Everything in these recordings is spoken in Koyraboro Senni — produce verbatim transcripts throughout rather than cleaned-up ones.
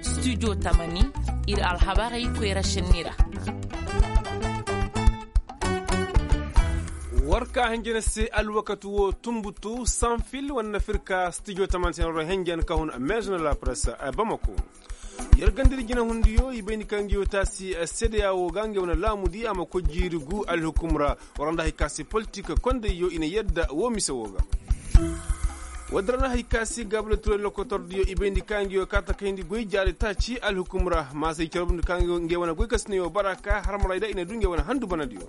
Studio tamani, ir alhabarey koyra sinni ra. War ka hinjina se alwakati wo tunbutu sanfil wane na firka studio tamani se na wara hinjina ka hun maison de la presse bamako. Yer ganda ir jinahundiyo i bayndi ka ngi wo taasi sedeya wo ga ngi wane laamudi a ma koy jiiri gu alhukum ra. War nda hari ka se politik kondayyo i na yadda wo mise wo ga. Woodin ra na hari ka se gaabila turay lokotordiyo i bayndi ka ngi wo kaata kayndi goy jaari taaci alhukum ra maasa i carbundi ka ngi wane goy ka si ne wo bara ka harmaray da i na du ngi wane handu banadiyo.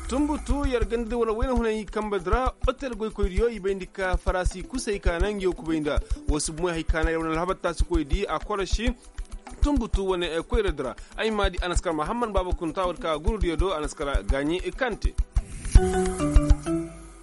Tunbutu yer ganda da wala wayna hunay kamba dira. Otel goykoydiyo i bayndi ka farasi kusay ka na ngi wo kubay nda wo si bumoy hari ka na yer wane alhabar taasi koydi a korosi. Tunbutu wane koyra dira. Ay ma di anaskar mahammad baaba kunta war ka gurudiyo do anaskar gaaɲi kante.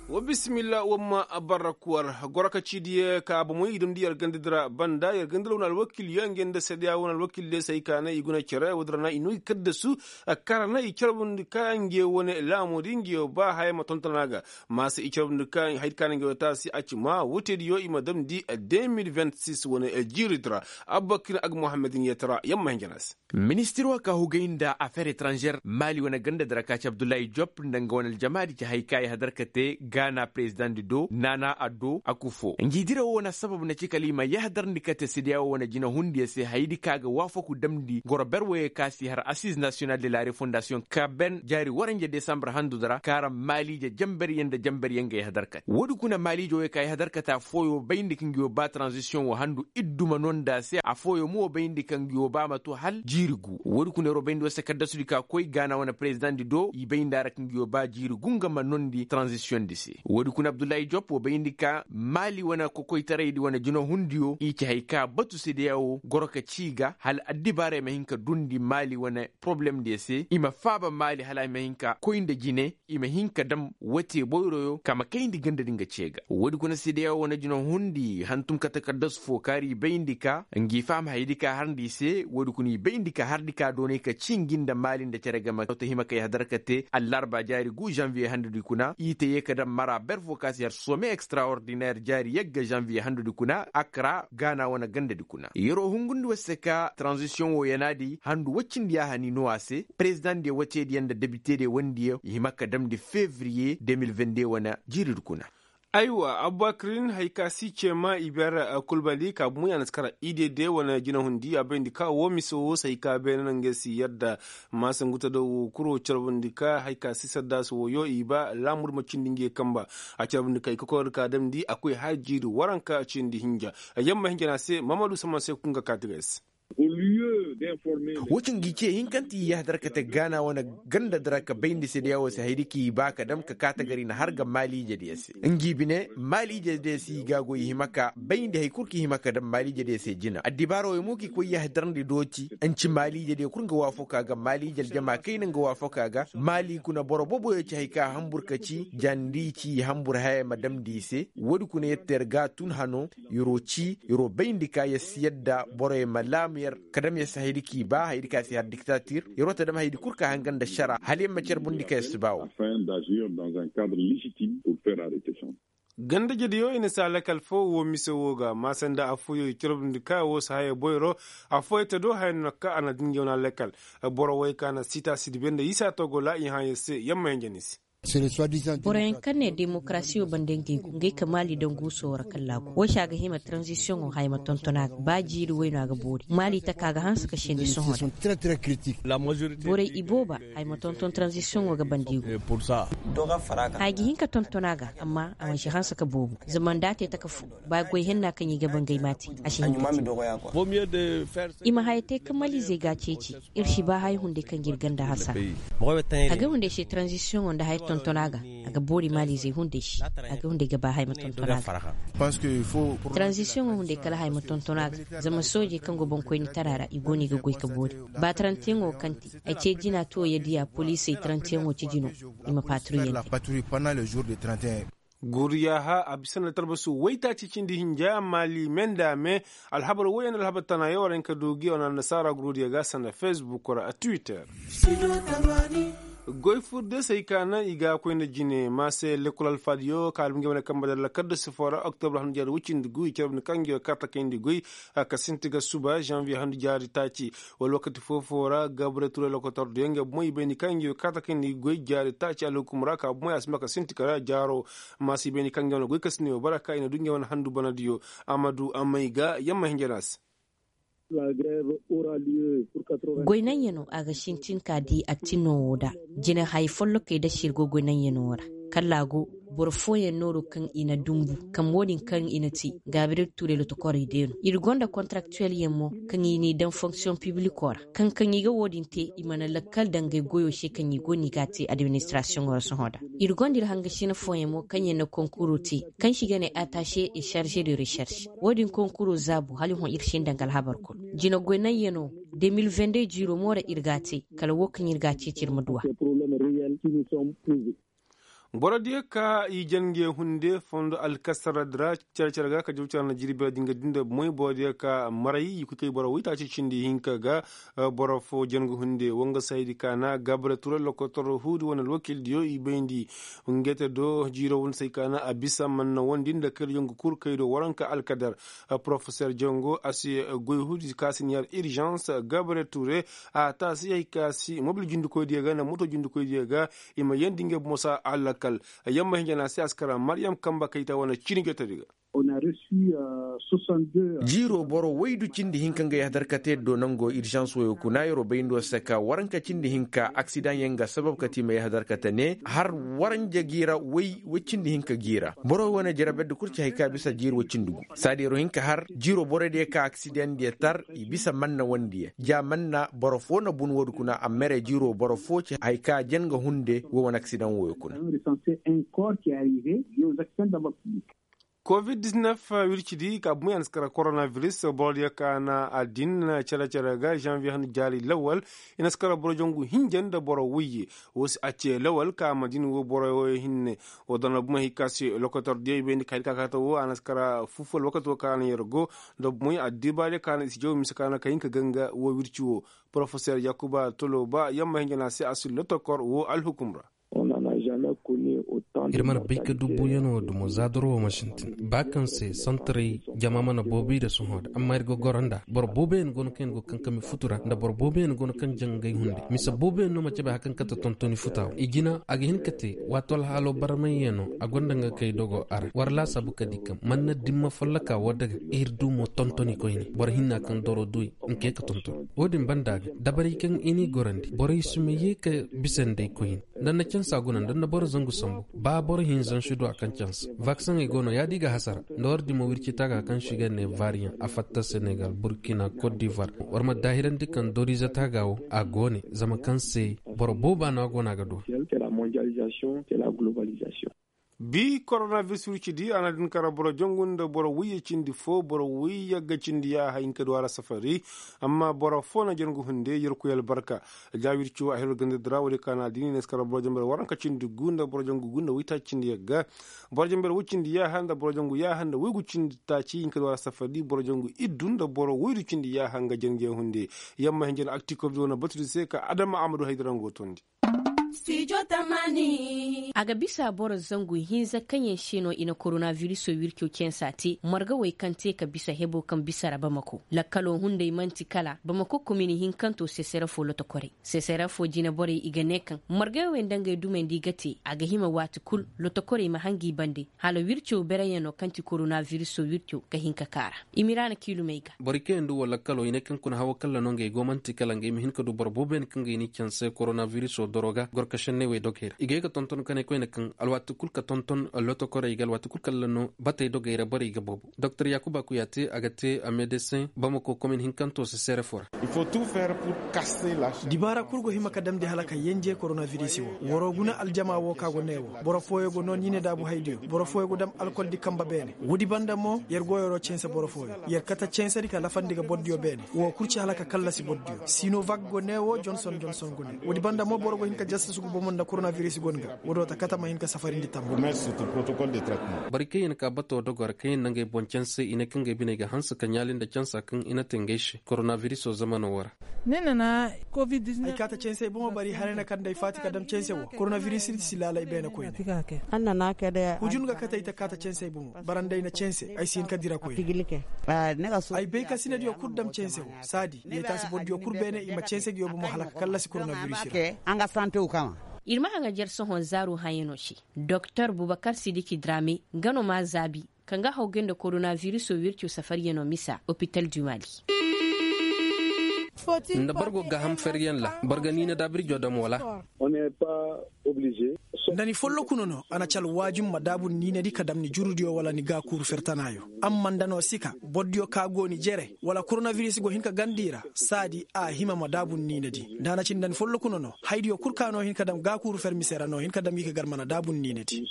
Wa bisimilla wa ma barra kuwar goro ka ciidiyo ka bomoy i damndi yer ganda dira banda yer ganda dira wane alwakilyo nge nda sedeya wane alwakilyo se ay ka na i guna cere woodin ra na i no i kaddasu. Kara na i carbundi ka nge wane laamudi nge ba haya ma tonton a ga. Maasa i carbundi ka haydi ka na nge wane taasi a ci ma woteediyo i ma damndi de mil vingt six wane jiiridi ra. Abubakir ag muhammadin yetara yamma hinja na se. Ministir wo ka hugay nda afeer etranžer maali wane ganda dira ka ci abdullahi jop nda nga wane aljamaadi ci hay ka i hadar ka te gaana perezidaŋ di do naana addo a kufo ngi dira wo na sabab na ci kala i ma yahadar ndi ka te sedeya wo wane jinahundiyo se haydi ka ga waafaku damndi goro ber woyey ka si har asiz nasiyonal de la refondasiyoŋ ka ben jaari waranja desambar handu dira kaara maaliije jamberyaŋ nda jamberyaŋ ga yahadar ka te woodi kuna maaliije woyey ka yahadar ka te afooyo bayndi ka ngi wo ba taranzisiyoŋ wo handu idduma no nda se afooyo mo bayndi ka ngi wo ba ma to hal jiiri gu woodi kuna yeroo bayndi wo se kaddasudi ka koy gaana wane perezidaŋ di do i bayndi a ra ka ngi wo ba jiiri gu nga ma nondi taranzisiyoŋ di se woodi kuna abdullahi jop wo bayndi ka maali wane kokoytaraydi wane jinahundiyo i ci hay ka batu sedeya wo goro ka ci i ga hala addibaarey ma hin ka dundi maali wane poroblem diyo se i ma faaba maali hala i ma hin ka koy nda jine i ma hin ka dam wote boyroyo ka ma kayndi ganda di nga ce ga woodi kuna sedeya wane jina hundi hantum ka takaddas fo kaari i bayndi ka ngi faham haydi ka harndi i se woodi kuna i bayndi ka harndi ka doonay ka ci ngi nda maali nda cere game to hima kay hadar ka te allarba jaari gu janviye handudi kuna i te ye ka dam mara ber fo ka si har some extraordinaire jaari yagga janviye handudi kuna akra gaana wane gandadi kuna yeroo hungundi wose ka tranzisiyoŋ wo yanaadi handu woy cindi ya hani no a se perezidaŋ diyo woteediyo nda debitediyo wandiyo i hima ka damndi fevriye de mil vingt de wane jiiridi kuna. Aywa abubakirin hari ka si ceema i beera kulbali ka bumu ya na si kara idede wane jinahundi a bayndi ka woo mise woo se hari ka beene no ngey si yadda. Maasangu ta do woo kuro carbundi ka hari ka si saddaasi wooyo i ba laamur ma cindi ngey kamba. A carbundi ka i kokordi ka damndi a koy har jiiri waranka cindi hinja. Yamma hinja na se mamadu saman se kunga kaati ga ay se. Woo cindi i ce hinkante i yahadar ka te gaana wane ganda dira ka bayndi sedeya woo se haydi ka i ba ka dam ka kaata gar i na har ga maaliijediyo se ngi bine maaliijediyo se i ga a goy i hima ka bayndi hari kul ka i hima ka dam maaliijediyo se jina addibaara wooyo mo ka i koy yahadarndi dooti nci maaliijediyo kul nga waafaka ga maaliije aljama kayna nga waafaka ga maali kuna boro booboyo ci hari ka hambur ka ci jandi ci hambur haya ma damndi i se woodi kuna yette yer ga a tun hano yer'o ci yer'o bayndi ka yer si yadda boroyo ma laamu yer ka dam yer si hayadi k'i ba hayadi ka si har diktatir yer'o ta dam hayadi kul ka hanga nda šara hala yer ma carbundi ka yer si ba woo. Gandajediyo i na si a lakal foo woo mise woo ga maasanda affooyo i carbundi ka woo si haya boyro affooyo ta do haya no ka a na din jawna lakal. Boro woy ka na sita sidibe nda isa togola i hã yer se yamma hinja ni se. Boroyaŋ kaŋ ne demokarasiyo banda ngey go ngey ka maali daŋ guuso ra kallaagu woy se a ga hima taranzisiyoŋo haya ma tonton a ga ba jiiri woy no a ga boori maali taka ga hanse ka sendi sohõ ra. Borey ibooba haya ma tonton taranzisiyoŋo ga banda i go. Haya ga hin ka tonton a ga amma a mansi hanse ka boobo zama nda a te taka fo ba goy henna kaŋ i ga ba ngey m'a te. A si hin ka te i ma haya te ka maliizey ga a ceeci. Ir si ba haya hunday kaŋ ga ir ganda hasara. A ga hunday se taranzisiyoŋo nda haya tonton a ga a ga boori maaliizey hunday se. A ga hunday ga ba haya ma tonton a ga. Taranzisiyoŋo hunday kala haya ma tonton a ga zama soojey kaŋ go boŋkoynitara ra i go no i ga goy ka boori. Ba tarantiyaŋo kaŋ te ay ce jina tuwo ya diya poliisey tarantiyaŋo ci jino i ma paaturu yandi. Guryaha a bisa nda talbasu waytaaci cindi hinja maali me nda me. Alhabar woy yaŋ nda alhabar tana yaŋ war hin ka du gi wane annasaara gurudiyo ga sanda fesbuk ra twitter. Goy fur de se ay ka naŋ i ga a koy nda jine ma se lekkol alfaadiyo ka albi ngey wane kambe dalla kadda sifo ra oktobra handu jaari woy cindi gu i care bine kaŋ ngey wo kaata kayndi goy. Ka sinti ga suba zanviye handu jaari taaci wala wakati foo-foo ra gabre turay lokotor diyo ngey bomoy i bayndi kaŋ ngey wo kaata kayndi goy jaari taaci alhukum ra ka bomoy a si ma ka sinti kala jaaro. Ma se i bayndi kaŋ ngey wane goy kasiniyo bara ka i na du ngey wane handu banadiyo. Amadu amay ga yamma hinja no a se. Goy naŋ ya no a ga sintin ka di attinno wo da jine haya follokey da se ir go goy naŋ ya no wo ra. Kala a go boro fooyaŋ nooro kaŋ i na dumbu kaŋ wo-din kaŋ i na te gaabirel tuuray lotokorey day no ir gonda kontaraktuwel yaŋ mo kaŋ i n'i daŋ fonksiyoŋ pibliko ra kaŋ kaŋ i ga wo-din te i mana lakkal dangay goyo se kaŋ i go no i ga a te adiministirasiyoŋo ra sohõ da. Ir gonda ir hangasina fooyaŋ mo kaŋ yaŋ na konkuro te kaŋ se i ga ne atase e sarže de resarš. Wo-din konkuro zaabu hala i hõ ir se nda nga alhabar kulu jina goy naŋ ya no de mil vende jiiro mo ra ir ga a te. Kala wo kaŋ ir ga a ceeci ir ma du a. Boro diyo ka i jange hunde fondo alkasaradi ra care care ga ka jaw care na jirbi ra dinga dinda moy boro diyo ka maray i koy kay boro waytaaci cindi hinka ga. Boro fo jangu hunde wanga saydi ka na gabra ture lokotor huudi wane alwakil diyo i bayndi. Ngete do jiiro wani say ka na a bisa manna wandi nda kayra jangu kul kay do waranka alkadar. Porofesor jango a si goy huudi ka si niyar irzans gabra ture a taasi hay ka si mobil jundikoy diyo ga nda moto jundikoy diyo ga. I ma yandi ngey bomo sa alakal. Yamma hinja na se a si kara maryam kamba kayta wane cini jotodi ga. Jiiro boro waydu cindi hinka nga yahadar ka te do nango irzans wayo kuna yer'o bayndo se ka waranka cindi hinka aksidaŋ yaŋ ga sabab ka te i ma yahadar ka te ne har waranja gi ra way way cindi hinka gi ra boro wane jaraberdi kul ci hay ka bisa jiiro way cindi gu. Saadi yer'o hin ka har jiiro borodiyo ka aksidaŋ diyo tar i bisa manna wandiyo ja manna boro foo na bun woodi kuna amma yer'o jiiro boro foo ci hay ka jen ga hunde wo wane aksidaŋ woyo kuna. Covid diznef wircidi ka bumey a na si kara koronaviris borodiyo ka na a din cere cere ga zanviye han jaari lawal. I na si kara boro jangu hinja nda boro woyye wo si a ce lawal ka madina wo boro woyye hinne. Wo dana bumey hay ka se lokotor diyo i bayndi ka hay ka kaata wo a na si kara fufal wakati wo ka na yer go nda bumey addibaadiyo ka na i si jaw mise ka na ka hin ka ganga wo wirci wo. Porofesor yakuba toloba yamma hinja na se a si lotokor wo alhukum ra. Ir mana bay ka du buuyanoo dumo za doro wo ma sintin ba kaŋ se santaray jama mana boobo i da sohõ da amma ir ga goro nd'a boro booboyaŋ go no kaŋ ir go kankami futu ra nda boro booboyaŋ go no kaŋ jaŋ ngey hunde mise booboyaŋ no ma cabe hari kaŋ kate tontoni futa wo i jina a ga hin ka te waato alhaalo barmayyaŋo a gonda nga kay dogo a ra war laasaabu ka di kaŋ manna dimma folloka wo daga ir du mo tontoni koyne boro hinna kaŋ doro du i nka ye ka tonton wo-din banda ga dabarey kaŋ i n'i gorandi borey si ma ye ka bisa nd'ey koyne nda ni na cansa guna nda ni na boro zangu sambu ba boro hinza ni si du a kaŋ cansa vaksaŋey go no yaadi ga hasara nda war dimo wirci taaga kaŋ se i ga ne variyaŋ a fatta senegal burkina kot divoir war ma daahirandi kaŋ doriize taaga wo a go ne zama kaŋ se boro booba no a go no a ga du a. Bi koronaviris wircidi a na din kara boro jangu nda boro wiyye cindi fo boro wiyye ga cindi yaaha hinka du a ra safari. Amma boro fo na jangu hunde yerkoy albarka. Jaawir ciwo a hiro gandadi ra woodi ka na dini na si kara boro jangu waranka cindi gu nda boro jangu gu nda waytaaci cindi yagga. Boro jangu woy cindi yaaha nda boro jangu yaaha nda woygu cindi taaci hinka du a ra safari boro jangu iddu nda boro woydu cindi yaaha nga jangu yaŋ hunde. Yamma hinja na akti kobdi wane batudi se ka adama amadu haydara nga wo tondi. A ga bisa boro zangu hinza kaŋ yaŋ se no i na koronaviriso wirco cansa te marga wey kaŋ te ka bisa hebo kaŋ bisa ra bamako lakkalo hunday man'ti kala bamako komin hinkanto sesere fo lotokorey sesere fo jine borey i ga ne kaŋ margey wey nda ngey dumey nda i ga te a ga hima waati kul lotokorey ma hangi bande hala wirco bereyaŋo kaŋ ti koronaviriso wirco ga hin ka kaara. Imiraana kiilumey ga. Borey kaŋ yaŋ du wo lakkalo i ne kaŋ kuna hawo kalla no ngey go man'ti kala ngey ma hin ka du boro boobo yaŋ kaŋ ga i n'i canse koronaviriso doro ga gorkasenney wey dogey ra i ga ye ga tonton ka ne koyne kaŋ alwaati kul ka tonton lotokorey ga alwaati kul kalla no batey dogey ra borey ga boobo doktor yaakuba kuyaate a ga te a medesin bamako komin hinkanto se seere fo ra. Dibaara kul go hima ka damndi hala ka yenje koronavirisi wo waroo guna aljama wo ka go ne wo boro fooyo go noo niine daabu haydiyo boro fooyo go dam alkoldi kamba beene woodi banda mo yer go yeroo cense boro fooyo yer kate ceŋsedi ka lafandi ga bordiyo beene woo kul ci hala ka kallasi bordiyo sinovak go ne woo jonson jonson go ne woodi banda mo boro go hin ka jasta. Sugu bomo nda koronaviris go ni ga woodoo ta kate ma hin ka safarindi tamma. Boro kaŋ yaŋ ka bato dogor kaŋ yaŋ na ngey boŋ canse i ne kaŋ ngey biney ga hanse ka ɲaali nda cansa kaŋ i na te ngey se koronavirisoo zamano wo ra. Ay kaata canse ay bomo bari haray na kaŋ nda ay faati ka dam canse wo koronaviris si laala ay beene koyne. Hujun ga kate ay ta kaata canse ay bomo bara nda ay na canse ay si hin ka dira koyne. Ay bay ka sinadiyo kul dam canse wo saadi yee taasi bordiyo kul beene i ma canse ngiyo bomo hala ka kallasi koronaviris ra. Ir ma haŋajer sohõ zaaru hayanoo se. Doktor bubakar sidiki drame nga no maa zaabi ka nga hawgay nda koronavirisoo wirco safaryanoo misa opital du mali. Nda boro go gaaham feryaŋ ra boro ga niina daabirjoo dam wala? Nda ni folloku no no a na ci alwaajum ma daabu ni niinadi ka dam ni jurudiyo wala ni gaakuuru fer tanaayoo. Amma nda no si ka bordiyo ka go ni jere wala koronaviris go hin ka ganda i ra saadi a hima ma daabu ni niinadi nda a na ci nda ni folloku no no haydiyo kul ka no hin ka dam gaakuuru fer mise ra no hin ka dam gi ka gar mana daabu ni niinadi.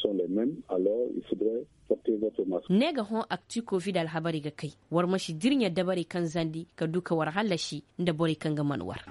Ne ga hõ akti kovid alhabarey ga kay war ma si dirɲa dabarey kaŋ zandi ka du ka war hallasi nda borey kaŋ ga man war.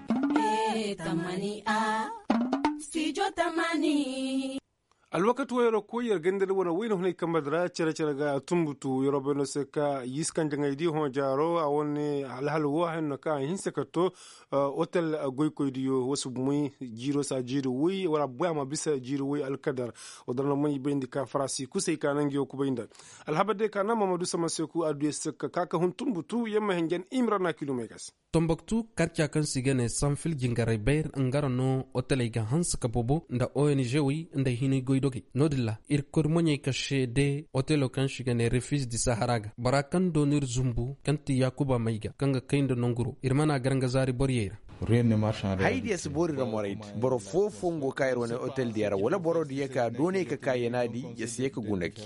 Alwakati wo yer ra koy yer ganda nda wane wayna hunay kambe di ra cere cere ga tumbutu yer wo bay no se ka yiisi kaŋ jaŋay di hõ jaaro a wane alhal wo haya no kaŋ a hinse ka to. Otel goykoydiyo wasu bumey jiiro saa jiiri woy wala bumey a ma bisa jiiri woy alkadar. Wo dara no man i bayndi ka farasi kusay ka nangu yaw kubay nda alhabar day ka na mamadu sama seku adduya se ka ka ka hun tumbutu yamma henjen imra na kilomay ga se. Tomboktu karca kaŋ se i ga ne sanfil jingaray bayr nga ra no oteley ga hanse ka bobo nda ong wey nda i hinay goydogey no- din ra ir kori moɲey ka seede otelo kaŋ se i ga ne refis di sahara ga bora kaŋ dooni ir zumbu kaŋ ti yaakuba may ga kaŋ ga kay nda nanguro ir mana gar nga zaari boriyey ra. Haydiya si boori ra moraydi boro foofo nga go ka ir wane otel diya ra wala boro diya ka dooney ka ka yanaadi ya si ye ka guna gi.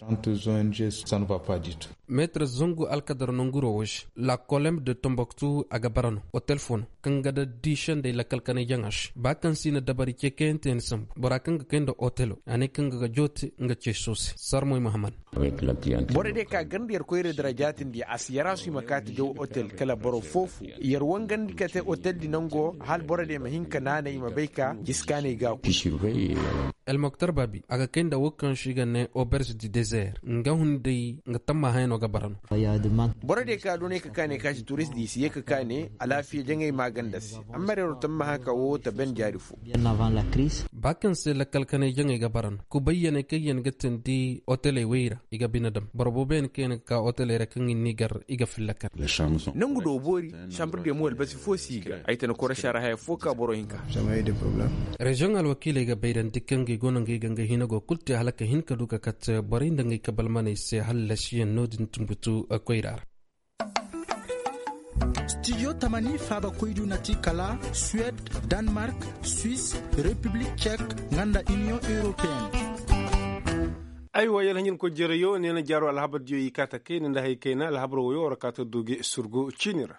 Meetir zangu alkadar nanguro wo se la kolem de tomboktu a ga bara no otel fo no kaŋ ga da diisandey lakkal kanay jaŋa se ba kaŋ se i na dabari ce kayante ni sambu bora kaŋ ga kay nda otelo a ne kaŋ ga ga joote nga ce soose sarmoy mahaman. Boro diya ka ganda yer koyra dira jaatindi a si yar a su i ma kaati jaw otel kala boro foofu yer wangandi ka te otel di nango hal boro diya ma hin ka naanay i ma bay ka jiskaanay ga ku. Elmoktar baabi a ga kay nda wo kaŋ se i ga ne oberz di dezer nga hunday nga tamma hayano ga bara no. Boro diya ka doonay ka kaane ka si turist di i si ye ka kaane alaafiya jaŋay maaganda se. Amma reero tamma haka wo ta ben jaari fo. Ba kaŋ se lakkal kanay jaŋay ga bara no kubayyaney kaŋ yaŋ ga tindi oteley wey ra i ga bine dam boro boobo yaŋ kaŋ yaŋ ga ka oteley ra kaŋ i n'i gar i ga filla kar. Nangu do boori sambre de mo albasi fo si i ga ay tana korosa ra haya fo ka boro hinka. Reziyoŋ alwakiiley ga bayrandi kaŋ ga i go no nga i ga nga hina go kul te hala ka hin ka du ka kat borey nda nga i kabalmaney se hallasiyaŋ no- din tumbutu koyra ra. Stijo tamani faabakoydu na ti kala suwed, danmark, swis, repiblik cek, nga nda iniyoŋ europeen. Aywa yalhaɲinkoy jereyo ne na jaaro alhabardiyo i kaata kayna nda hay kayna alhabar woyo war kaata duge surgu ciini ra.